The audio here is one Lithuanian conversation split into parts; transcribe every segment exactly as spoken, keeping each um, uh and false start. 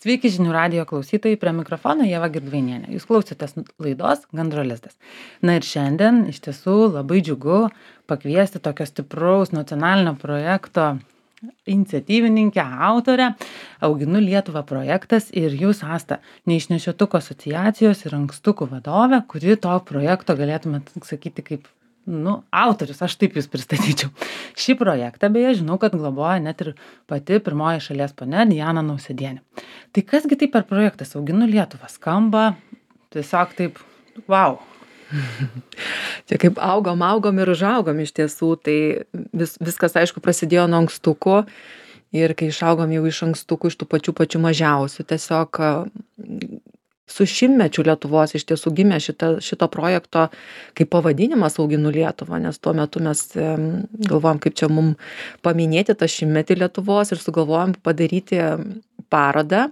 Sveiki žinių radijo klausytojai, prie mikrofono Ieva Girdvainienė. Jūs klausotės laidos Gandro lizdas. Na ir šiandien iš tiesų labai džiugu pakviesti tokio stipraus nacionalinio projekto iniciatyvininkę, autorę, Auginu Lietuvą projektas ir jūs, Asta, Neišnešiotukų asociacijos ir ankstukų vadovė, kuri to projekto galėtumėt sakyti kaip nu, autorius, aš taip jūs pristatyčiau. Šį projektą, beje, žinau, kad globoja net ir pati pirmoji šalies ponia Diana Nausėdienė. Tai kasgi tai per projektas Auginu Lietuvą? Skamba tiesiog taip, wow. Čia kaip augom, augom ir užaugom iš tiesų, tai vis, viskas, aišku, prasidėjo nuo ankstukų ir kai išaugom jau iš ankstukų, iš tų pačių pačių mažiausių, tiesiog su šimtmečiu Lietuvos iš tiesų gimė šita, šito projekto kaip pavadinimas Auginu Lietuvą, nes tuo metu mes galvojom, kaip čia mum paminėti tą šimtmetį Lietuvos ir sugalvojom padaryti parodą,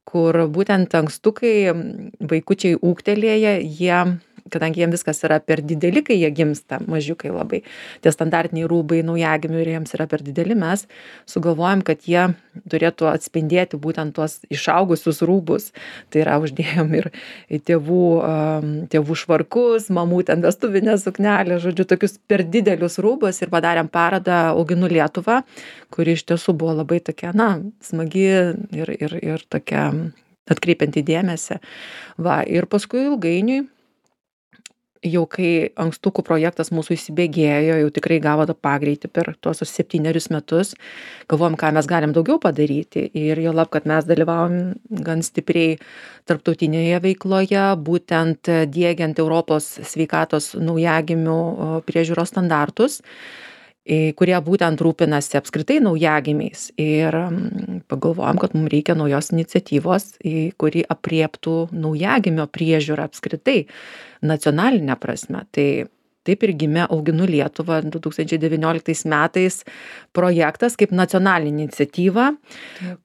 kur būtent ankstukai, vaikučiai ūgtelėję, jie kadangi jiem viskas yra per dideli, kai jie gimsta, mažiukai labai, tie standartiniai rūbai naujagimių ir jiems yra per dideli, mes sugalvojom, kad jie turėtų atspindėti būtent tuos išaugusius rūbus. Tai yra uždėjom ir tėvų, tėvų švarkus, mamų ten vestuvinę suknelę, žodžiu, tokius per didelius rūbus ir padarėm parodą Auginu Lietuvą, kuri iš tiesų buvo labai tokia, na, smagi ir, ir, ir tokia atkreipianti dėmesį. Va, ir paskui ilgainiui, jau kai ankstukų projektas mūsų įsibėgėjo, jau tikrai gavo tą pagreitį per tuos septynerius metus, galvojom, ką mes galim daugiau padaryti ir jau lab, kad mes dalyvavom gan stipriai tarptautinėje veikloje, būtent diegiant Europos sveikatos naujagimių priežiūros standartus, kurie būtent rūpinasi apskritai naujagimiais. Ir pagalvojom, kad mums reikia naujos iniciatyvos, kuri apriektų naujagimio priežiūrą apskritai nacionalinę prasme. Tai taip ir gimė Auginu Lietuvą du tūkstančiai devynioliktais metais projektas kaip nacionalinė iniciatyva,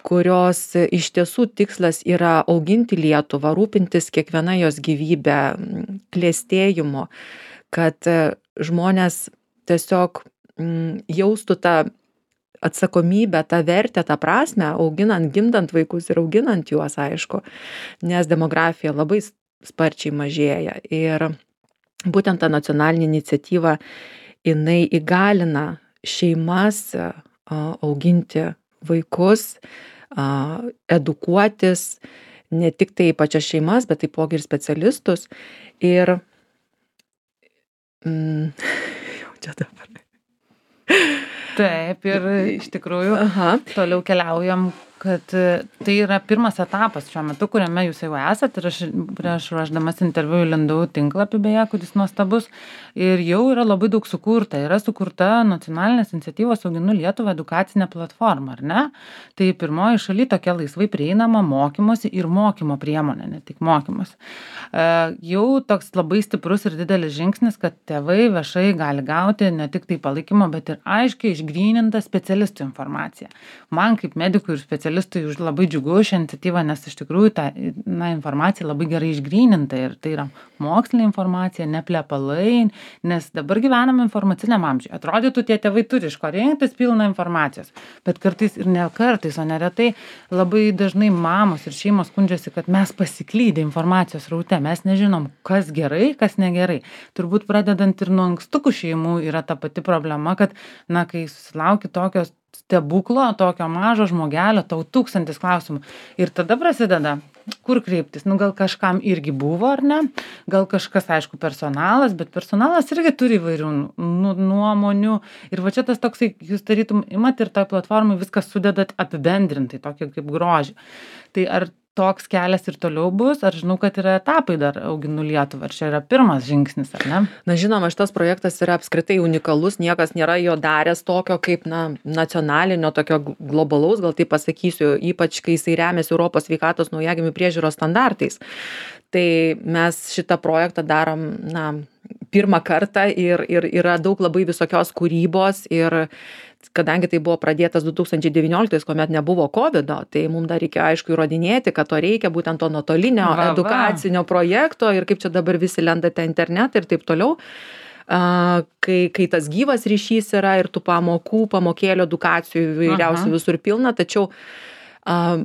kurios iš tiesų tikslas yra auginti Lietuvą, rūpintis kiekviena jos gyvybę, klėstėjimu, kad žmonės tiesiog jaustų tą atsakomybę, tą vertę, tą prasmę, auginant, gimdant vaikus ir auginant juos, aišku, nes demografija labai sparčiai mažėja. Ir būtent ta nacionalinė iniciatyva, jinai įgalina šeimas auginti vaikus, edukuotis, ne tik tai pačias šeimas, bet taipogi ir specialistus. Ir mm, jau čia dabar. Taip, ir iš tikrųjų Aha. toliau keliaujam, kad tai yra pirmas etapas šiuo metu, kuriame jūs jau esat ir aš prieš ruošdamas interviu įlindau tinklapį beje, kuris nuostabus ir jau yra labai daug sukurta. Yra sukurta nacionalinės iniciatyvos Auginu Lietuvą edukacinė platforma, ar ne? Tai pirmoji šaly tokia laisvai prieinama mokymosi ir mokymo priemonė, ne tik mokymosi. E, jau toks labai stiprus ir didelis žingsnis, kad tėvai viešai gali gauti ne tik tai palaikymo, bet ir aiškiai išgrynintą specialistų informaciją. Man kaip medikų ir specialistų specialistui už labai džiugu šią iniciatyvą, nes iš tikrųjų ta na, informacija labai gerai išgryninta ir tai yra mokslinė informacija, ne plepalai, nes dabar gyvename informaciniam amžiui. Atrodytų, tie tėvai turi iš ko rinktis pilną informacijos, bet kartais ir ne kartais, o neretai labai dažnai mamos ir šeimos skundžiasi, kad mes pasiklydę informacijos raute, mes nežinom, kas gerai, kas negerai. Turbūt pradedant ir nuo ankstukų šeimų yra ta pati problema, kad na, kai susilauki tokios stebuklo, tokio mažo žmogelio, tau tūkstantis klausimų. Ir tada prasideda, kur kreiptis. Nu, gal kažkam irgi buvo, ar ne? Gal kažkas, aišku, personalas, bet personalas irgi turi įvairių nu, nuomonių. Ir va čia tas toksai, jūs tarytum, imat ir toj platformai viskas sudedat apibendrintai, tokį kaip grožį. Tai ar toks kelias ir toliau bus, ar žinau, kad yra etapai dar Auginu Lietuvą, ar čia yra pirmas žingsnis, ar ne? Na, žinoma, šitas projektas yra apskritai unikalus, niekas nėra jo daręs tokio kaip, na, nacionalinio, tokio globalaus, gal taip pasakysiu, ypač kai jisai remiasi Europos sveikatos naujagimių priežiūros standartais. Tai mes šitą projektą darom, na, pirmą kartą ir, ir yra daug labai visokios kūrybos ir kadangi tai buvo pradėtas du tūkstančiai devynioliktais, kuomet nebuvo kovido, tai mums dar reikėjo aišku įrodinėti, kad to reikia, būtent to nuotolinio va, edukacinio va. projekto ir kaip čia dabar visi lendate internetą ir taip toliau. Uh, kai, kai tas gyvas ryšys yra ir tų pamokų, pamokėlių, edukacijų įvairiausių visur pilna, tačiau uh,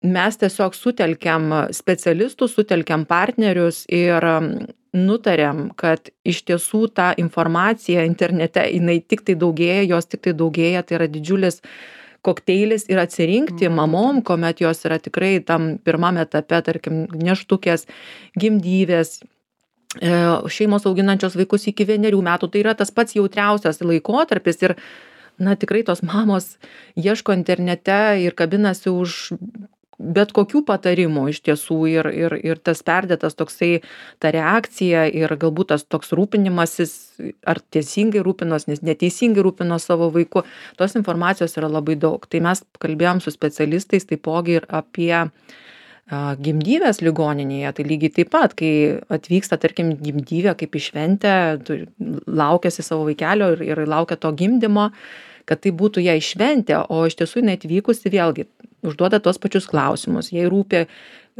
mes tiesiog sutelkiam specialistus, sutelkiam partnerius ir nutarėm, kad iš tiesų ta informacija internete, jinai tik tai daugėja, jos tik tai daugėja, tai yra didžiulis kokteilis ir atsirinkti mamom, kuomet jos yra tikrai tam pirmam etape, tarkim, neštukės, gimdyvės, šeimos auginančios vaikus iki vienerių metų, tai yra tas pats jautriausias laikotarpis ir, na, tikrai tos mamos ieško internete ir kabinasi už bet kokių patarimų iš tiesų ir, ir, ir tas perdėtas toksai, ta reakcija ir galbūt tas toks rūpinimasis, ar teisingai rūpinos, nes neteisingai rūpinos savo vaiku, tos informacijos yra labai daug. Tai mes kalbėjom su specialistais taipogi ir apie a, gimdyvės ligoninėje, tai lygiai taip pat, kai atvyksta, tarkim, gimdyvė kaip į šventę, laukiasi savo vaikelio ir, ir laukia to gimdymo, kad tai būtų jai šventė, o iš tiesų jinai atvykusi vėlgi užduoda tuos pačius klausimus, jai rūpi,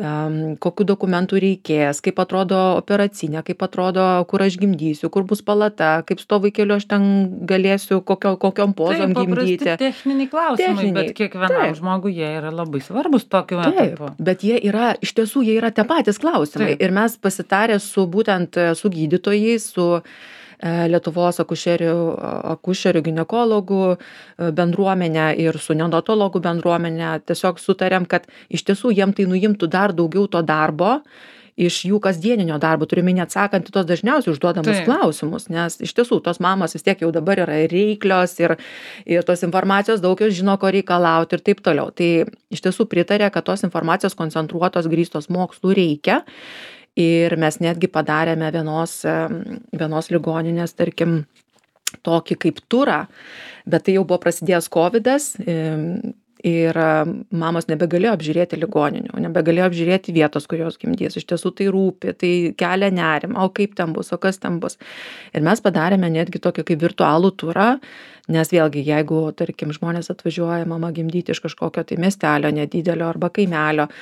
um, kokių dokumentų reikės, kaip atrodo operacinė, kaip atrodo, kur aš gimdysiu, kur bus palata, kaip su to vaikeliu aš ten galėsiu, kokio, kokiom pozom Taip, gimdyti. Taip, techniniai klausimai, Techniniai. Bet kiekvienam Taip. žmogui jie yra labai svarbus tokiu Taip, etapu. bet jie yra, iš tiesų, jie yra tie patys klausimai. Taip. Ir mes pasitarę su būtent su gydytojais, su Lietuvos akušerių, akušerių ginekologų bendruomenė ir su neonatologų bendruomenė tiesiog sutarėm, kad iš tiesų jiem tai nuimtų dar daugiau to darbo iš jų kasdieninio darbo, turime neatsakant į tos dažniausiai užduodamus Taip. klausimus, nes iš tiesų tos mamos vis tiek jau dabar yra reiklios ir, ir tos informacijos daug jos žino, ko reikalauti ir taip toliau. Tai iš tiesų pritarė, kad tos informacijos koncentruotos, grįstos mokslų reikia. Ir mes netgi padarėme vienos, vienos ligoninės, tarkim, tokį kaip turą, bet tai jau buvo prasidėjęs kovidas ir mamos nebegalėjo apžiūrėti ligoninių, nebegalėjo apžiūrėti vietos, kur jos gimdys. Iš tiesų tai rūpi, tai kelia nerimą, o kaip ten bus, o kas ten bus. Ir mes padarėme netgi tokį kaip virtualų turą, nes vėlgi, jeigu, tarkim, žmonės atvažiuoja mama gimdyti iš kažkokio tai miestelio nedidelio arba kaimelio,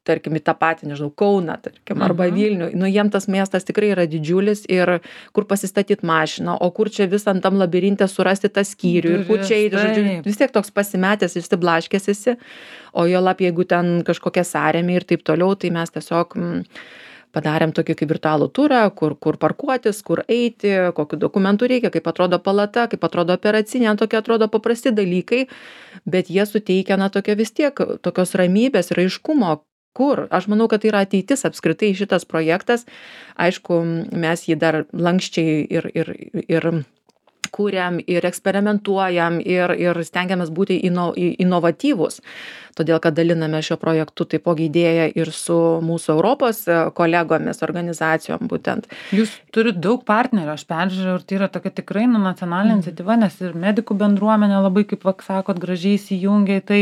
tarkim, į tą patį, nežinau, Kauną, tarkim, arba Vilnių. Nu, jiem tas miestas tikrai yra didžiulis ir kur pasistatyti mašiną, o kur čia visam tam labirinte surasti tą skyrių ir kur čia eiti, žodžiu, vis tiek toks pasimetęs, išsiblaškęs esi, o jo lab, jeigu ten kažkokia sąrėmė ir taip toliau, tai mes tiesiog m, padarėm tokį kaip virtualų turą, kur, kur parkuotis, kur eiti, kokiu dokumentų reikia, kaip atrodo palata, kaip atrodo operacinė, tokie atrodo paprasti dalykai, bet jie suteikia, na, tokia vis tiek tokios ramybės ir aiškumo, kur. Aš manau, kad tai yra ateitis apskritai šitas projektas. Aišku, mes jį dar lankščiai ir, ir, ir kūriam, ir eksperimentuojam, ir, ir stengiamės būti ino, inovatyvūs. Todėl, kad daliname šio projektu taipogi idėją ir su mūsų Europos kolegomis, organizacijom būtent. Jūs turite daug partnerių, aš peržiūrėjau, ir tai yra tokia tikrai nu, nacionalinė iniciatyva, nes ir medikų bendruomenė labai, kaip vak, sakot, gražiai įsijungia į tai.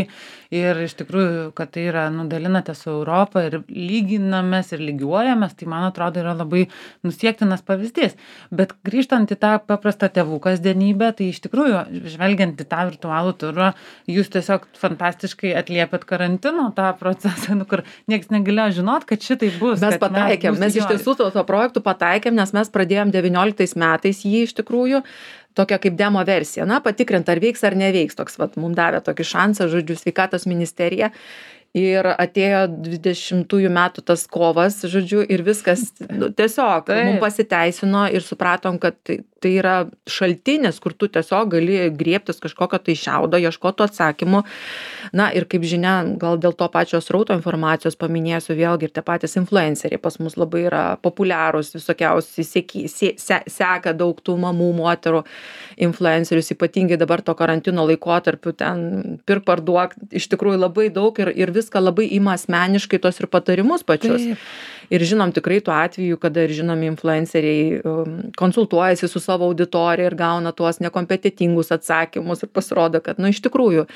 Ir iš tikrųjų, kad tai yra, nu, dalinate su Europą ir lyginamės ir lygiuojamės, tai man atrodo yra labai nusiektinas pavyzdys. Bet grįžtant į tą paprastą tėvų kasdienybę, tai iš tikrųjų, žvelgiant į tą virtualų turą, jūs tiesiog fantastiškai atliepėt karantino tą procesą, nu, kur niekas negalėjo žinot, kad šitai bus. Mes pataikėm, mes, mes iš tiesų to, to projektų pataikėm, nes mes pradėjom devynioliktais metais jį iš tikrųjų tokia kaip demo versija, na, patikrint, ar veiks ar neveiks, toks, vat, mums davė tokį šansą, žodžiu, sveikatos ministerija. Ir atėjo dvidešimtųjų metų tas kovas, žodžiu, ir viskas, nu, tiesiog, mums pasiteisino ir supratom, kad tai, tai yra šaltinis, kur tu tiesiog gali griebtis kažkokio tai šiaudo, ieškoti atsakymų. Na ir kaip žinia, gal dėl to pačios srauto informacijos paminėsiu vėlgi ir tie patys influenceriai pas mus labai yra populiarūs, visokiausiai seki, se, se, seka daug tų mamų, moterų influencerius, ypatingai dabar to karantino laikotarpiu ten pirk parduok, iš tikrųjų labai daug ir, ir viską labai ima asmeniškai tos ir patarimus pačius. Taip. Ir žinom tikrai tų atvejų, kada ir žinomi influenceriai um, konsultuojasi su savo auditorija ir gauna tuos nekompetitingus atsakymus ir pasirodo, kad, nu, iš tikrųjų,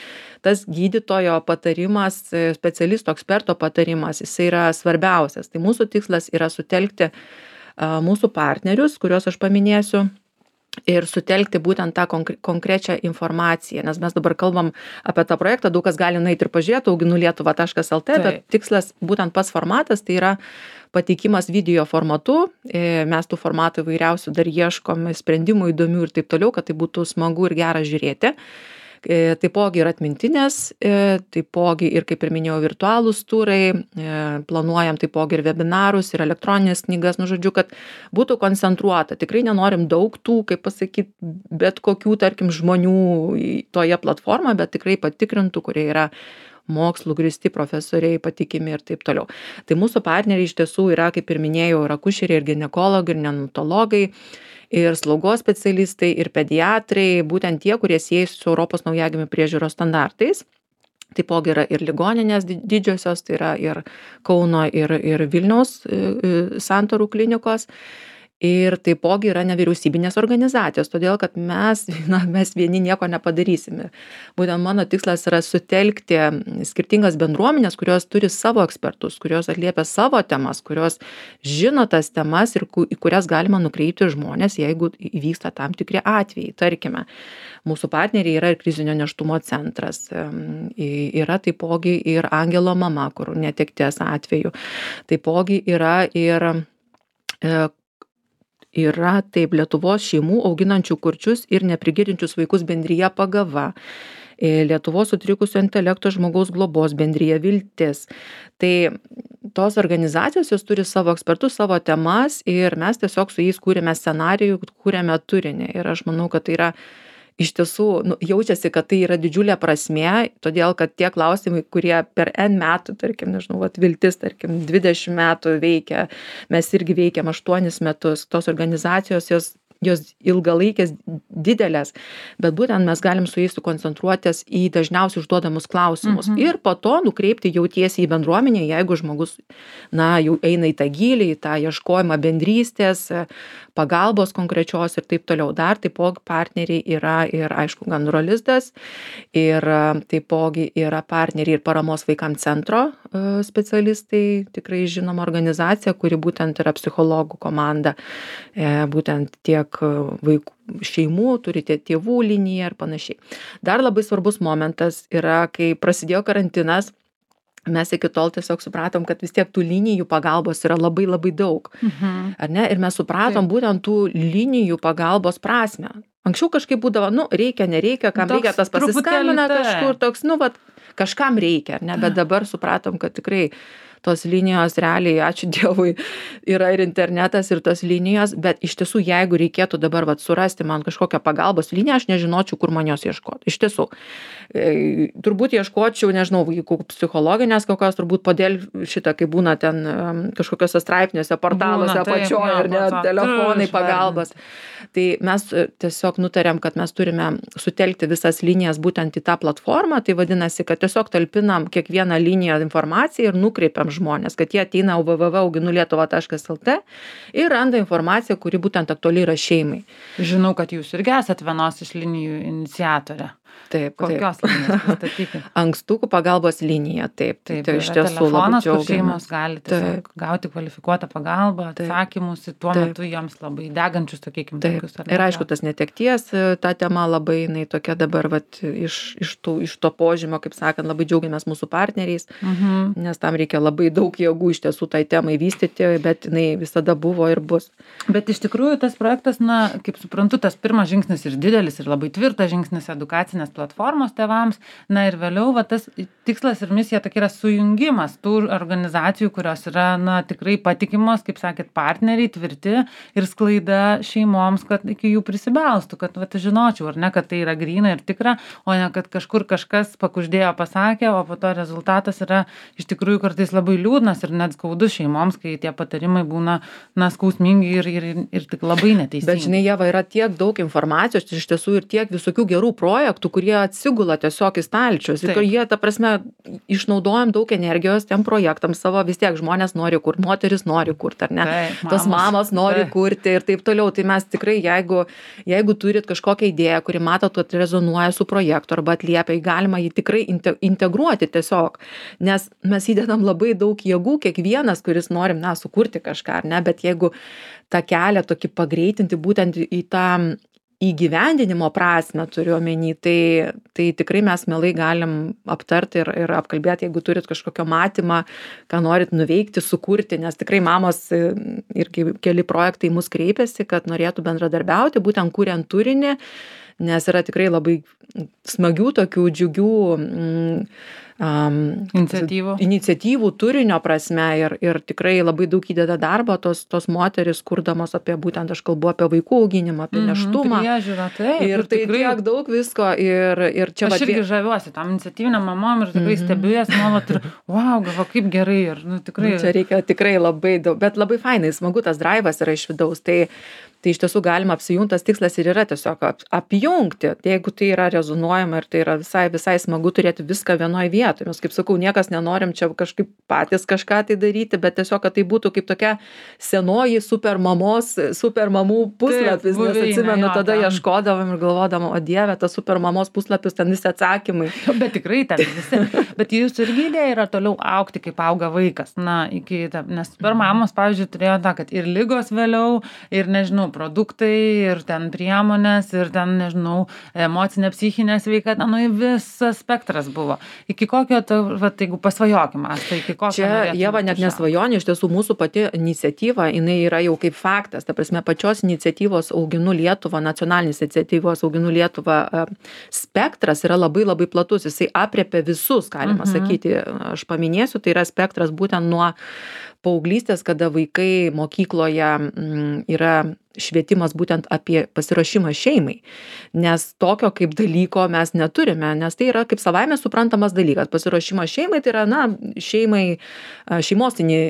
tas gydytojo patarimas, specialisto, eksperto patarimas, jis yra svarbiausias. Tai mūsų tikslas yra sutelkti uh, mūsų partnerius, kuriuos aš paminėsiu, ir sutelkti būtent tą konkre- konkrečią informaciją, nes mes dabar kalbam apie tą projektą, daug kas gali nueiti ir pažiūrėti auginu lietuva taškas el tė, bet tikslas būtent pats formatas, tai yra pateikimas video formatu, mes tų formatų įvairiausių dar ieškom, sprendimų įdomių ir taip toliau, kad tai būtų smagu ir gera žiūrėti. Taipogi ir atmintinės, taipogi ir, kaip ir minėjau, virtualūs turai, planuojam taipogi ir webinarus, ir elektroninės knygas, nu žodžiu, kad būtų koncentruota. Tikrai nenorim daug tų, kaip pasakyti, bet kokių, tarkim, žmonių toje platformoje, bet tikrai patikrintų, kurie yra mokslų grįsti profesoriai, patikimi ir taip toliau. Tai mūsų partneriai iš tiesų yra, kaip ir minėjau, ir akušeriai, ir ginekologai, ir neonatologai, ir slaugos specialistai, ir pediatrai, būtent tie, kurie siejasi su Europos naujagimių priežiūros standartais. Taipogi yra ir ligoninės didžiosios, tai yra ir Kauno, ir, ir Vilniaus santarų klinikos. Ir taipogi yra nevyriausybinės organizacijos, todėl kad mes, na, mes vieni nieko nepadarysime. Būtent mano tikslas yra sutelkti skirtingas bendruomenės, kurios turi savo ekspertus, kurios atliepia savo temas, kurios žino tas temas ir į kurias galima nukreipti žmonės, jeigu įvyksta tam tikri atvejai. Tarkime, mūsų partneriai yra ir krizinio nėštumo centras, yra taipogi ir Angelo mama, kur netekties atveju. Taipogi yra ir Yra taip Lietuvos šeimų auginančių kurčius ir neprigirdinčius vaikus bendrija Pagava, Lietuvos sutrikusio intelekto žmogaus globos bendrija Viltis. Tai tos organizacijos jos turi savo ekspertus, savo temas ir mes tiesiog su jais kūrėme scenarijų, kūrėme turinį. Ir aš manau, kad tai yra iš tiesų, nu, jaučiasi, kad tai yra didžiulė prasmė, todėl kad tie klausimai, kurie per N metų, tarkim, nežinau, vat, Viltis, tarkim, dvidešimt metų veikia, mes irgi veikiam aštuonis metus, tos organizacijos jos jos ilgalaikės didelės, bet būtent mes galim su jais sukoncentruotis į dažniausiai užduodamus klausimus mhm. ir po to nukreipti jau tiesiai į bendruomenę, jeigu žmogus, na, jau eina į tą gylį, į tą ieškojimą bendrystės, pagalbos konkrečios ir taip toliau. Dar taipogi partneriai yra ir, aišku, Gandro lizdas, ir taipogi yra partneriai ir paramos vaikams centro specialistai, tikrai žinoma organizacija, kuri būtent yra psichologų komanda, būtent tiek vaikų, šeimų, turite tėvų liniją ir panašiai. Dar labai svarbus momentas yra, kai prasidėjo karantinas, mes iki tol tiesiog supratom, kad vis tiek tų linijų pagalbos yra labai labai daug. Mhm. Ar ne? Ir mes supratom Taip. būtent tų linijų pagalbos prasmę. Anksčiau kažkaip būdavo, nu, reikia, nereikia, kam toks reikia, tas pasiskambina kažkur, toks, nu, vat, kažkam reikia, ar ne? Bet dabar supratom, kad tikrai tos linijos realiai, ačiū Dievui, yra ir internetas, ir tos linijos, bet iš tiesų, jeigu reikėtų dabar vat, surasti man kažkokią pagalbos liniją, aš nežinočiau, kur man jos ieškoti. Iš tiesų, e, turbūt ieškočiau, nežinau, jeigu psichologinės kokios, turbūt podėl šitą, kai būna ten um, kažkokiose straipniuose, portaluose, apačioje, ar ne, telefonai pagalbos. Tai mes tiesiog nutarėm, kad mes turime sutelkti visas linijas būtent į tą platformą, tai vadinasi, kad tiesiog talpinam kiekvieną liniją informaciją ir nukreipiam žmonės, kad jie ateina w w w taškas auginu lietuvą taškas l t ir randa informaciją, kuri būtent aktuali yra šeimai. Žinau, kad jūs irgi esat vienos iš linijų iniciatorė. Taip, Kokios taip. linijos pristatyti? Ankstukų pagalbos linija, taip. Taip, tai iš tiesų labai džiaugiamės. Kur šeimos gali tiesiog gauti kvalifikuotą pagalbą, atsakymus į tuo taip. metu joms labai degančius, sakykime, taip. tokius. Ir aišku, tas netekties, ta tema labai, jinai tokia dabar, vat, iš, iš, tų, iš to požymio, kaip sakant, labai džiaugiamės mūsų partneriais, mhm. nes tam reikia labai daug jėgų iš tiesų tai temai vystyti, bet jinai visada buvo ir bus. Bet iš tikrųjų tas projektas, na, kaip suprantu, tas pirmas žingsnis ir didelis, ir labai tvirtas žingsnis edukacinės platformos tėvams, na ir vėliau va, tas tikslas ir misija tokia yra sujungimas tų organizacijų, kurios yra, na, tikrai patikimos, kaip sakėt, partneriai, tvirti ir sklaida šeimoms, kad iki jų prisibelstų, kad va, žinočiau, ar ne, kad tai yra gryna ir tikra, o ne, kad kažkur kažkas pakuždėjo, pasakė, o po to rezultatas yra iš tikrųjų kartais labai liūdnas ir net skaudus šeimoms, kai tie patarimai būna, na, skausmingi ir, ir, ir tik labai neteisingi. Bet žinai, Ieva, yra tiek daug informacijos, iš tiesų ir tiek visokių gerų projektų, kurie atsigula tiesiog į stalčius. Ir jie, ta prasme, išnaudojam daug energijos tiem projektams savo, vis tiek žmonės nori kurti, moteris nori kurti, ar ne? Taip, mamos. Tos mamos nori Taip. kurti ir taip toliau. Tai mes tikrai, jeigu, jeigu turit kažkokią idėją, kuri matot, kad rezonuoja su projektu arba atliepia, galima jį tikrai integruoti tiesiog. Nes mes įdedam labai daug jėgų, kiekvienas, kuris norim, na, sukurti kažką, ar ne? Bet jeigu tą kelią tokį pagreitinti būtent į tą įgyvendinimo prasmę turiu omeny, tai, tai tikrai mes mielai galim aptarti ir, ir apkalbėti, jeigu turit kažkokio matymą, ką norit nuveikti, sukurti, nes tikrai mamos irgi keli projektai mus kreipiasi, kad norėtų bendradarbiauti, būtent kuriant turinį, nes yra tikrai labai smagių tokių džiugių mm, um, iniciatyvų. iniciatyvų turinio prasme ir, ir tikrai labai daug įdeda darbo tos, tos moteris, kurdamos apie būtent, aš kalbu apie vaikų auginimą, apie neštumą. Mm, priežiūrą, taip. Ir tai tikrai tiek daug visko ir, ir čia... Aš irgi žaviuosi tam iniciatyvinėm mamom ir tikrai mm-hmm. stebiu jas nuolat ir wow, galvo, kaip gerai ir nu, tikrai... Nu, čia reikia tikrai labai daug, bet labai fainai, smagu tas drive'as yra iš vidaus, tai tai iš tiesų galima apsijungtas tikslas ir yra tiesiog ap, apjungti, jeigu tai yra rezonuojama ir tai yra visai, visai smagu turėti viską vienoje vietoje. Mes, kaip sakau, niekas nenorim čia kažkaip patys kažką tai daryti, bet tiesiog, kad tai būtų kaip tokia senoji super mamos, super mamų puslapis, taip, nes atsimenu, tada ieškodavom ir galvodavom, o dieve, tas super mamos puslapis, ten visi atsakymai. Bet tikrai ten visi. Bet jūsų irgi idėja yra toliau augti, kaip auga vaikas. Na, iki, nes super mamos, pavyzdžiui, turėjo tą, kad ir lygos vėliau, ir nežinau, produktai ir ten priemonės ir ten, nežinau, emocinė, psichinė sveikata, nu, visas spektras buvo. Iki kokio, ta, va, jeigu pasvajokim, tai iki kokio... Čia, Ieva, net nesvajonė, iš tiesų mūsų pati iniciatyva, jinai yra jau kaip faktas, ta prasme, pačios iniciatyvos Auginu Lietuvą, nacionalinės iniciatyvos Auginu Lietuvą spektras yra labai labai platus, jisai apriepia visus, galima mhm. sakyti, aš paminėsiu, tai yra spektras būtent nuo paauglystės, kada vaikai mokykloje m, yra švietimas būtent apie pasiruošimą šeimai, nes tokio kaip dalyko mes neturime, nes tai yra kaip savaime suprantamas dalykas. Pasiruošimas šeimai tai yra, na, šeimai, šeimostinį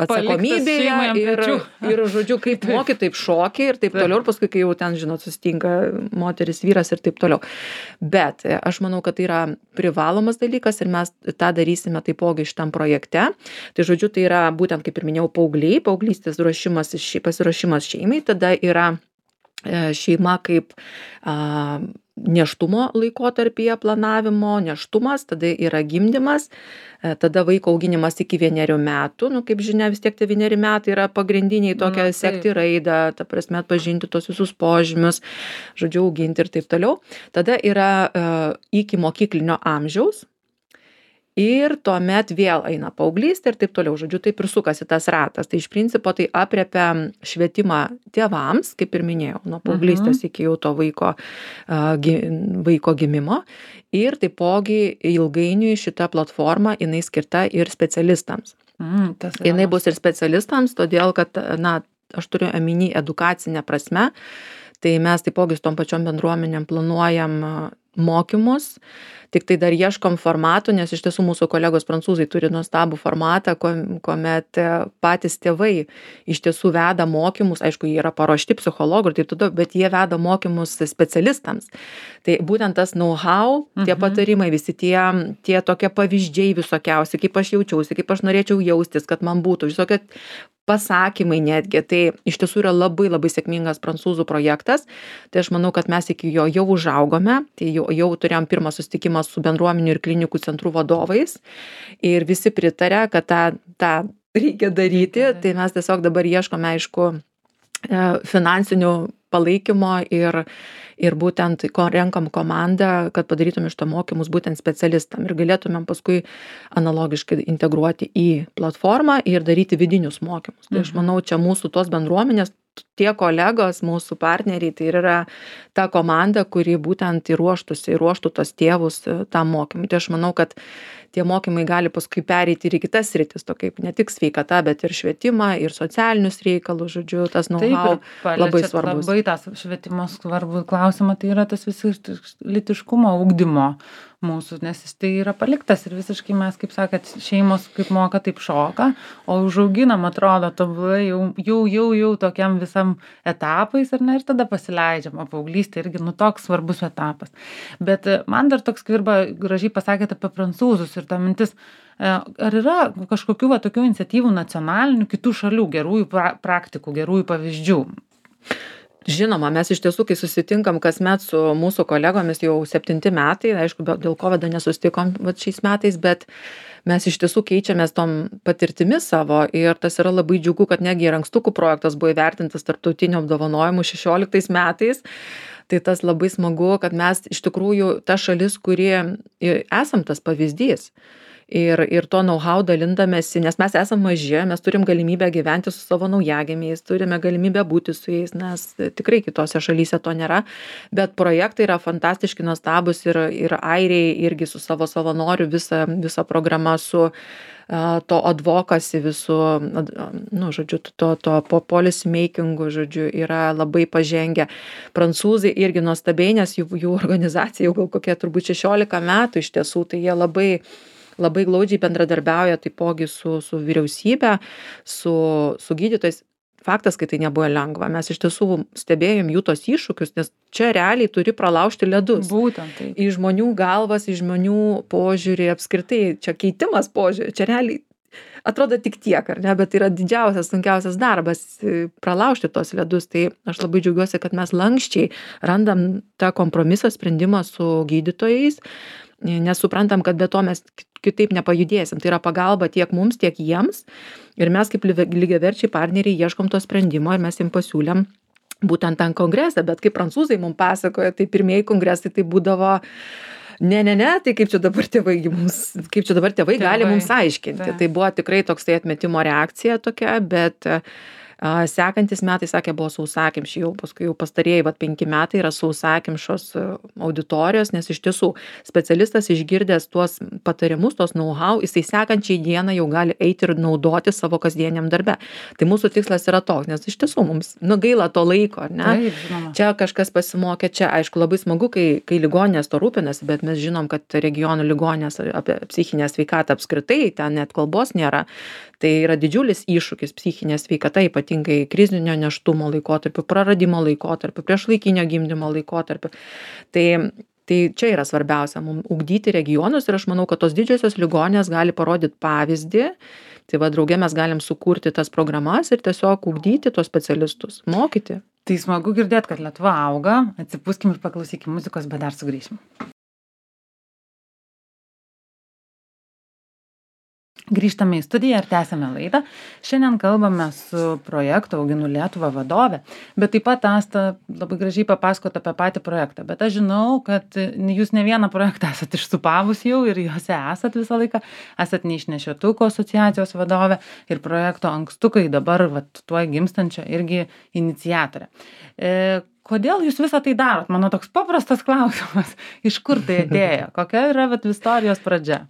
atsakomybėje ir, ir, žodžiu, kaip moki, taip šoki ir taip toliau, ir paskui, kai jau ten, žinot, susitinka moteris, vyras ir taip toliau. Bet aš manau, kad tai yra privalomas dalykas ir mes tą darysime taipogi šitam projekte. Tai, žodžiu, tai yra būtent, kaip ir minėjau, paaugliai, paauglystės ruošimas, pasiruošimas šeimai, tada yra šeima kaip a, nėštumo laikotarpyje planavimo, nėštumas, tada yra gimdymas, tada vaiko auginimas iki vienerių metų, nu kaip žinia, vis tiek tie vieneri metai yra pagrindiniai tokia mm, sekti raidą, ta prasme atpažinti tos visus požymius, žodžiu, auginti ir taip toliau. Tada yra uh, iki mokyklinio amžiaus. Ir tuomet vėl eina paauglystė ir taip toliau, žodžiu, taip ir sukasi tas ratas. Tai iš principo tai apriepia švietimą tėvams, kaip ir minėjau, nuo paauglystės mhm. iki jau to vaiko, uh, vaiko gimimo. Ir taipogi ilgainiui šita platforma, jinai skirta ir specialistams. Mm, tas yra jinai bus ir specialistams, todėl kad, na, aš turiu omeny edukacinę prasme, tai mes taipogi su tom pačiom bendruomenėm planuojam mokymus, tik tai dar ieškom formatų, nes iš tiesų mūsų kolegos prancūzai turi nuostabų formatą, kuomet patys tėvai iš tiesų veda mokymus, aišku, jie yra paruošti psichologų ir taip toliau, bet jie veda mokymus specialistams. Tai būtent tas know-how, tie patarimai, visi tie, tie tokie pavyzdžiai visokiausi, kaip aš jaučiausi, kaip aš norėčiau jaustis, kad man būtų visokie pasakymai netgi, tai iš tiesų yra labai labai sėkmingas prancūzų projektas, tai aš manau, kad mes iki jo jau užaugome, tai jau, jau turėjom pirmą susitikimą su bendruomenių ir klinikų centrų vadovais ir visi pritarė, kad tą, tą reikia daryti, tai mes tiesiog dabar ieškome, aišku, finansinių palaikymo ir, ir būtent renkam komandą, kad padarytume iš to mokymus būtent specialistam ir galėtumėm paskui analogiškai integruoti į platformą ir daryti vidinius mokymus. Tai aš manau, čia mūsų tos bendruomenės, tie kolegos, mūsų partneriai, tai yra ta komanda, kuri būtent įruoštųsi, įruoštų tos tėvus tam mokymui. Tai aš manau, kad tie mokymai gali paskui pereiti ir į kitas sritis, to kaip ne tik sveikata, bet ir švietimą, ir socialinius reikalus, žodžiu, tas know-how labai svarbus. Labai tas švietimo svarbus klausimas, tai yra tas visi lytiškumo ugdymo mūsų, nes jis tai yra paliktas ir visiškai mes, kaip sakėt, šeimos kaip moka, taip šoka, o užauginam atrodo tobulai jau, jau, jau, jau tokiam visam etapais, ar ne, ir tada pasileidžiam, o paauglystė irgi, nu, toks svarbus etapas. Bet man dar toks skvirba, gražiai pasakėte apie prancūzus ir ta mintis, ar yra kažkokių va tokių iniciatyvų nacionalinių kitų šalių, gerųjų pra praktikų, gerųjų pavyzdžių? Žinoma, mes iš tiesų, kai susitinkam kasmet su mūsų kolegomis jau septinti metai, aišku, dėl kovido nesusitikom šiais metais, bet mes iš tiesų keičiamės tom patirtimis savo ir tas yra labai džiugu, kad negi ir ankstukų projektas buvo įvertintas tarptautiniu apdovanojimu šešioliktais metais. Tai tas labai smagu, kad mes iš tikrųjų ta šalis, kuri esam tas pavyzdys. Ir, ir to know-how dalindamėsi, nes mes esam maži, mes turim galimybę gyventi su savo naujagimiais, turime galimybę būti su jais, nes tikrai kitose šalyse to nėra, bet projektai yra fantastiški, nuostabus ir, ir airiai irgi su savo savanoriu visa, visa programa su uh, to advokasi visų, nu, žodžiu, to, to po policy makingu, žodžiu, yra labai pažengę. Prancūzai irgi nuostabiai, nes jų, jų organizacija jau gal kokie turbūt šešiolika metų iš tiesų, tai jie labai labai glaudžiai bendradarbiauja taipogi su, su vyriausybė, su, su gydytojais. Faktas, kad tai nebuvo lengva. Mes iš tiesų stebėjom jų tos iššūkius, nes čia realiai turi pralaužti ledus. Būtent tai. Į žmonių galvas, į žmonių požiūrį, apskritai, čia keitimas požiūrį, čia realiai atrodo tik tiek, ar ne, bet tai yra didžiausias, sunkiausias darbas pralaužti tos ledus. Tai aš labai džiaugiuosi, kad mes lankščiai randam tą kompromisą, sprendimą su gydytojais, nes suprantam, kad be to mes kitaip nepajudėsim. Tai yra pagalba tiek mums, tiek jiems. Ir mes kaip lygiaverčiai partneriai ieškom to sprendimo ir mes jiems pasiūlėm būtent ten kongresą. Bet kaip prancūzai mums pasakoja, tai pirmieji kongresai tai būdavo ne, ne, ne, tai kaip čia dabar tėvai, mums, kaip čia dabar tėvai, tėvai gali mums aiškinti. Tai. tai buvo tikrai toksai atmetimo reakcija tokia, bet a, sekantis metai, sakė, buvo sausakimši, jau paskui jau pastarėjai, vat penki metai yra sausakimšos auditorijos, nes iš tiesų specialistas išgirdęs tuos patarimus, tos know-how, jisai sekančiai dieną jau gali eiti ir naudoti savo kasdieniam darbe. Tai mūsų tikslas yra toks, nes iš tiesų mums nu, gaila to laiko, ar ne? Taip, žinoma. Čia kažkas pasimokė, čia aišku labai smagu, kai, kai ligoninės to rūpinasi, bet mes žinom, kad regionų ligoninės apie psichinę sveikatą apskritai, ten net kalbos nėra. Tai yra didžiulis iššūkis psichinė sveikata, ypatingai krizinio nėštumo laikotarpiu, praradimo laikotarpiu, priešlaikinio gimdymo laikotarpiu. Tai, tai čia yra svarbiausia, mums ugdyti regionus ir aš manau, kad tos didžiosios ligoninės gali parodyti pavyzdį. Tai va, drauge mes galim sukurti tas programas ir tiesiog ugdyti tos specialistus, mokyti. Tai smagu girdėti, kad Lietuva auga. Atsipūskim ir paklausykim muzikos, bet dar sugrįšim. Grįžtame į studiją ir tęsiame laidą. Šiandien kalbame su projekto Auginu Lietuvą vadove, bet taip pat Asta labai gražiai papasakot apie patį projektą. Bet aš žinau, kad jūs ne vieną projektą esat išsupavus jau ir juose esat visą laiką. Esat Neišnešiotukų asociacijos vadovė ir projekto Ankstukai dabar vat, tuoj gimstančio irgi iniciatorė. E, kodėl jūs visą tai darot? Mano toks paprastas klausimas. Iš kur tai atėjo? Kokia yra vat, istorijos pradžia?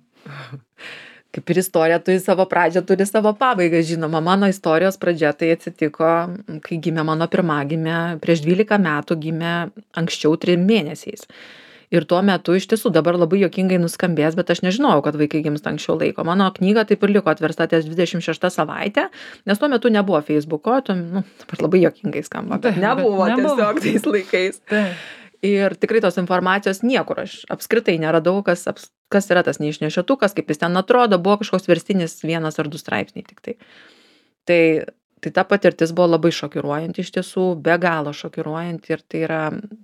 Kaip ir istorija turi savo pradžią, turi savo pabaigą, žinoma. Mano istorijos pradžia tai atsitiko, kai gimė mano pirmagimė, prieš dvylika metų gimė anksčiau trim mėnesiais. Ir tuo metu iš tiesų dabar labai juokingai nuskambės, bet aš nežinojau, kad vaikai gimsta anksčiau laiko. Mano knyga taip ir liko atversta ties dvidešimt šeštą savaitę, nes tuo metu nebuvo Facebooko, tuo, nu, dabar labai juokingai skamba, bet nebuvo, nebuvo. Tiesiog tais laikais. Tai. Ir tikrai tos informacijos niekur aš apskritai neradau, kas, kas yra tas neišnešiotukas, kaip jis ten atrodo, buvo kažkoks verstinis vienas ar du straipsniai tik tai. Tai, tai ta patirtis buvo labai šokiruojanti iš tiesų, be galo šokiruojanti ir tai yra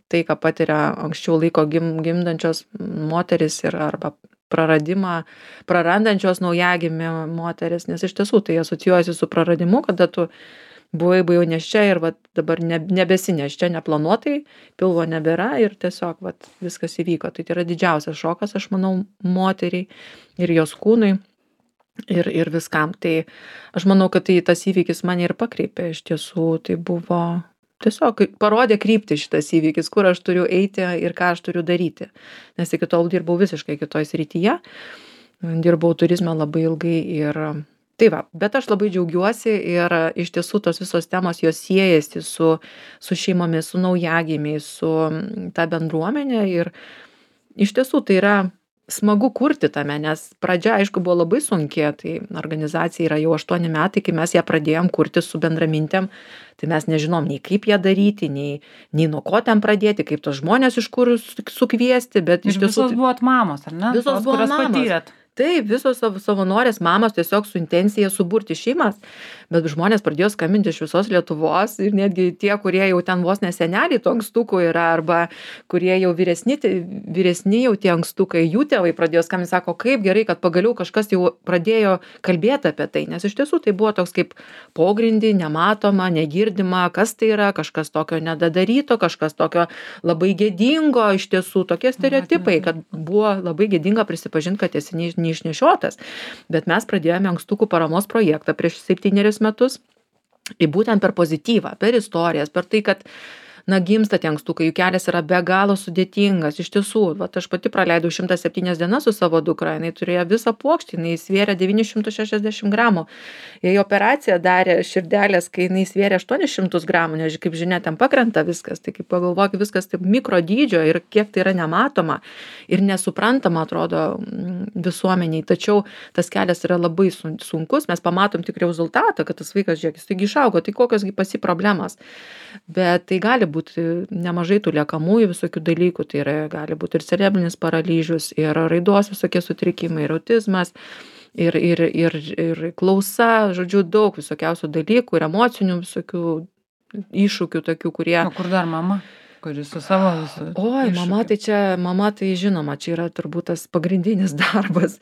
tai, ką patiria anksčiau laiko gim, gimdančios moteris ir arba praradimą, prarandančios naujagimį moteris, nes iš tiesų tai asocijuojasi su praradimu, kada tu buvai buvau neščia ir vat, dabar ne, nebesineščia neplanuotai, pilvo nebėra ir tiesiog vat, viskas įvyko. Tai, tai yra didžiausias šokas, aš manau, moteriai ir jos kūnui ir, ir viskam. Tai aš manau, kad tai, tas įvykis mane ir pakreipė. Iš tiesų tai buvo tiesiog parodė kryptį šitas įvykis, kur aš turiu eiti ir ką aš turiu daryti. Nes iki tol dirbau visiškai kitoj srityje. Dirbau turizme labai ilgai ir tai va, bet aš labai džiaugiuosi ir iš tiesų tos visos temos jos siejasi su, su šeimomis, su naujagimiais, su ta bendruomenė ir iš tiesų tai yra smagu kurti tame, nes pradžia, aišku, buvo labai sunki, tai organizacija yra jau aštuoni metai, kai mes ją pradėjom kurti su bendramintėm, tai mes nežinom nei kaip ją daryti, nei, nei nuo ko ten pradėti, kaip tos žmonės iš kur sukviesti, bet ir iš tiesų... Visos buvot mamos, ar ne? Visos buvo mamos. Patyrėt. Taip, visos savo savanorės mamos tiesiog su intencija suburti šeimas, bet žmonės pradėjo skambinti iš visos Lietuvos ir netgi tie, kurie jau ten vos neseneliai to ankstukų yra, arba kurie jau vyresni, vyresni jau tie ankstukai, jų tėvai pradėjo skambinti, sako, kaip gerai, kad pagaliau kažkas jau pradėjo kalbėti apie tai, nes iš tiesų tai buvo toks kaip pogrindį, nematoma, negirdima, kas tai yra, kažkas tokio nedadaryto, kažkas tokio labai gėdingo, iš tiesų tokie stereotipai, kad buvo labai gėdinga prisipažinti, kad esi neišnešiotas. Bet mes pradėjome ankstukų paramos projektą prieš septynerius metus, ir būtent per pozityvą, per istorijas, per tai, kad na, gimsta tie ankstukai, jų kelias yra be galo sudėtingas. Iš tiesų, vat, aš pati praleidau šimtas septynias dienas su savo dukra, jinai turėjo visą plokštį, jinai svėrė devynis šimtus šešiasdešimt gramų. Jei operaciją darė širdelės, kai jinai svėrė aštuonis šimtus gramų, nes kaip žinia, ten pakrenta viskas, tai kaip pagalvok, viskas taip mikro dydžio ir kiek tai yra nematoma ir nesuprantama, atrodo, visuomeniai. Tačiau tas kelias yra labai sunkus, mes pamatom tik rezultatą, kad tas vaikas, žiūrėk, jis taigi išaugo, tai kokios pasi problemos. Bet tai gali būti nemažai tų liekamųjų visokių dalykų, tai yra, gali būti ir cerebrinis paralyžius, ir raidos visokie sutrikimai, ir autizmas, ir, ir, ir, ir klausa, žodžiu, daug visokiausių dalykų, ir emocinių visokių iššūkių tokių, kurie... O kur dar mama? Kuris su savo visu. Oi, mama tai čia, mama tai žinoma, čia yra turbūt tas pagrindinis darbas.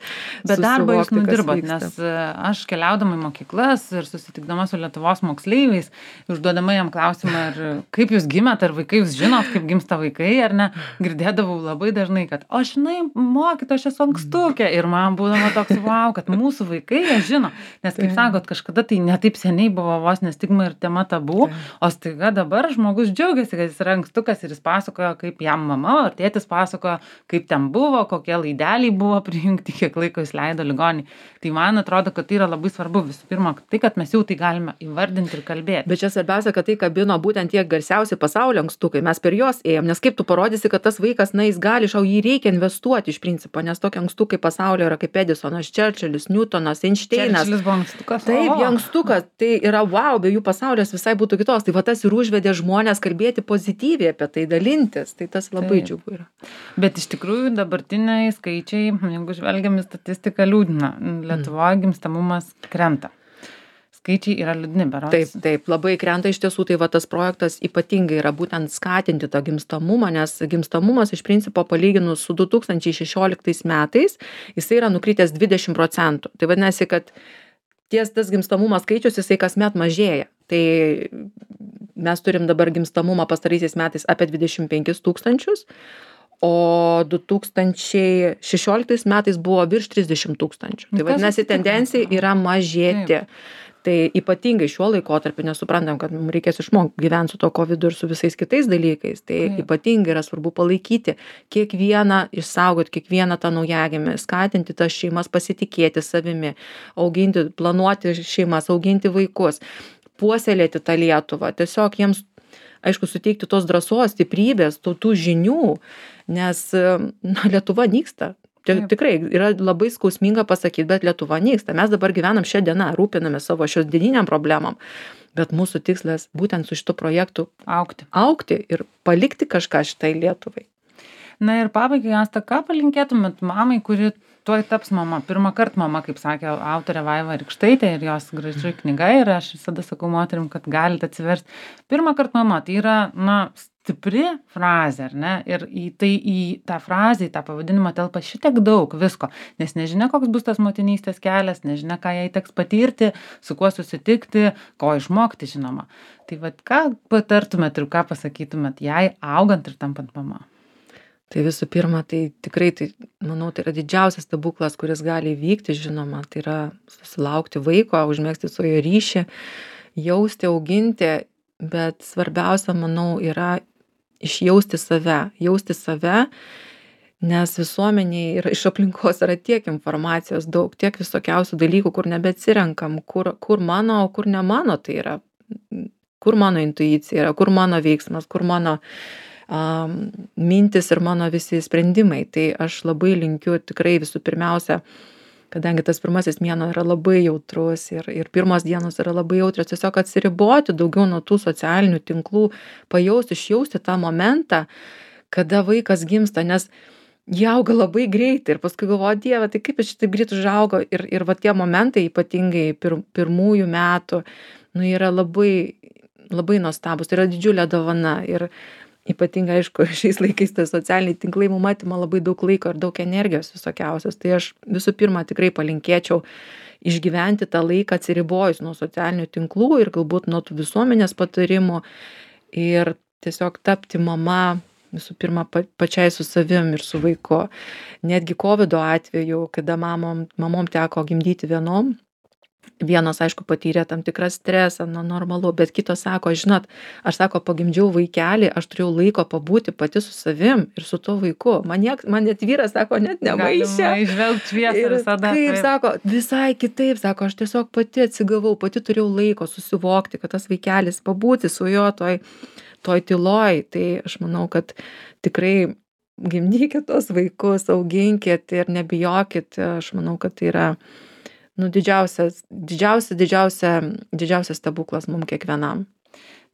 Bet darbą jūs nudirbat, nes aš keliaudama į mokyklas ir susitikdama su Lietuvos moksleiviais, užduodama jam klausimą, ar kaip jūs gimėt, ar vaikai jūs žinot, kaip gimsta vaikai, ar ne, girdėdavau labai dažnai, kad o žinai, mokyt, aš esu ankstukė. Ir man būdama toks, wow, kad mūsų vaikai jie žino. Nes kaip sakot, kažkada tai netaip seniai buvo vos nestigma ir tema tabu, o staiga dabar žmogus džiaugiasi, kad jis yra ankstukas ir jis pasakojo, kaip jam mama ar tėtis pasakojo, kaip ten buvo, kokie laideliai buvo prijungti, kiek laiko jis leido ligoninėj. Tai man atrodo, kad tai yra labai svarbu visų pirma, tai, kad mes jau tai galime įvardinti ir kalbėti. Bet čia svarbiausia, kad tai kabino būtent tie garsiausi pasaulio ankstukai, mes per juos ėjom, nes kaip tu parodysi, kad tas vaikas, na, jis gali, šau, jį reikia investuoti iš principo, nes tokie ankstukai pasaulio yra kaip Edisonas, Čerčilis, Newtonas, Einšteinas. Čerčilis buvo ankstukas. Taip, jie ankstukas, tai yra wow, be jų pasaulis visai būtų kitos. Tai va tas ir užvedė žmonės kalbėti pozityviai apie tai, dalintis, tai tas labai Taip. Džiugu yra. Bet iš tikrųjų dabartiniai skaičiai, jeigu žvelgiam į statistiką, liūdina. Lietuvoje mm. gimstamumas krenta. Skaičiai yra liūdni, berods. Taip, taip, labai krenta iš tiesų, tai va tas projektas ypatingai yra būtent skatinti tą gimstamumą, nes gimstamumas iš principo palyginus su du tūkstančiai šešioliktais metais, jisai yra nukritęs dvidešimt procentų. Tai vadinasi, kad ties tas gimstamumas skaičius, jisai kasmet mažėja. Tai mes turim dabar gimstamumą pastaraisiais metais apie dvidešimt penkis tūkstančius, o du tūkstančiai šešioliktais metais buvo virš trisdešimt tūkstančių. Tai vadinasi, tendencija yra mažėti. Taip. Tai ypatingai šiuo laikotarpiu, nesuprantam, kad mums reikės išmokti gyventi su to kovidu ir su visais kitais dalykais. Tai Taip. Ypatingai yra svarbu palaikyti kiekvieną, išsaugoti kiekvieną tą naujagimį, skatinti tas šeimas pasitikėti savimi, auginti, planuoti šeimas, auginti vaikus, puoselėti tą Lietuvą, tiesiog jiems, aišku, suteikti tos drąsos, stiprybės, tų, tų žinių, nes na, Lietuva nyksta. Taip. Tikrai yra labai skausminga pasakyti, bet Lietuva nyksta. Mes dabar gyvenam šią dieną, rūpiname savo šios dieniniam problemam, bet mūsų tikslas būtent su šitu projektu augti. augti ir palikti kažką šitai Lietuvai. Na ir pabaigai, Asta, ką palinkėtumėt mamai, kuri tuoj taps mama? Pirmą kartą mama, kaip sakė autorė Vaiva Rykštaitė ir jos graži knyga, ir aš visada sakau moterim, kad galite atsiversti. Pirmą kartą mama, tai yra, na, stipri frazė, ar ne? Ir į, tai, į tą frazę, į tą pavadinimą telpa šitiek daug visko, nes nežinia, koks bus tas motinystės kelias, nežinia, ką jai teks patirti, su kuo susitikti, ko išmokti, žinoma. Tai vat, ką patartumėt ir ką pasakytumėt jai augant ir tampant mama? Tai visų pirma, tai tikrai, tai, manau, tai yra didžiausias stebuklas, kuris gali įvykti, žinoma, tai yra susilaukti vaiko, užmėgsti su jo ryšį, jausti, auginti, bet svarbiausia, manau, yra išjausti save, jausti save, nes visuomeniai ir iš aplinkos yra tiek informacijos daug, tiek visokiausių dalykų, kur nebeatsirenkam, kur, kur mano, o kur ne mano, tai yra, kur mano intuicija yra, kur mano veiksmas, kur mano um, mintis ir mano visi sprendimai. Tai aš labai linkiu tikrai visų pirmiausia, kadangi tas pirmasis mėnuo yra labai jautrus ir, ir pirmos dienos yra labai jautrios, tiesiog atsiriboti daugiau nuo tų socialinių tinklų, pajausti, išjausti tą momentą, kada vaikas gimsta, nes jie auga labai greitai ir paskui galvoju, Dieve, tai kaip jis taip greit užaugo ir, ir va tie momentai ypatingai pir, pirmųjų metų, nu, yra labai, labai nuostabus, tai yra didžiulė dovana ir ypatingai, aišku, šiais laikais tai socialiniai tinklai mums atima labai daug laiko ir daug energijos visokiausios, tai aš visų pirma tikrai palinkėčiau išgyventi tą laiką atsiribojus nuo socialinių tinklų ir galbūt nuo tų visuomenės patarimų ir tiesiog tapti mama visų pirma pa, pačiai su savim ir su vaiku. Netgi kovido atveju, kada mamom, mamom teko gimdyti vienom, vienos, aišku, patyrė tam tikrą stresą, nu, normalu, bet kitos sako, žinot, aš sako, pagimdžiau vaikelį, aš turėjau laiko pabūti pati su savim ir su tuo vaiku. Man, niek, man net vyras, sako, net nemaišė. Išvelgti šviesą visada. Kaip, taip. Sako, visai kitaip, sako, aš tiesiog pati atsigavau, pati turėjau laiko susivokti, kad tas vaikelis pabūti su juo toj, toj tyloj. Tai aš manau, kad tikrai gimdykit tos vaikus, auginkit ir nebijokit. Aš manau, kad tai yra nu, didžiausias, didžiausia, didžiausia, didžiausias stebuklas mums kiekvienam.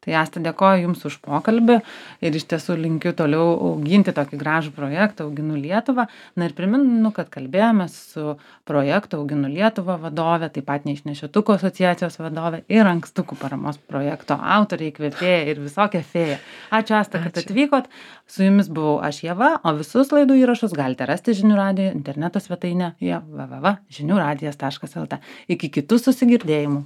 Tai Asta, dėkoju Jums už pokalbį ir iš tiesų linkiu toliau auginti tokį gražų projektą Auginu Lietuvą. Na ir priminu, kad kalbėjome su projekto Auginu Lietuvą vadove, taip pat Neišnešiotukų asociacijos vadove ir Ankstukų paramos projekto autorė, įkvėpėja ir visokia fėja. Ačiū, Asta, kad Ačiū. atvykot. Su Jumis buvau aš, Ieva, o visus laidų įrašus galite rasti Žinių radijo interneto svetainėje w w w taškas žinių radijas taškas l t. Iki kitų susigirdėjimų.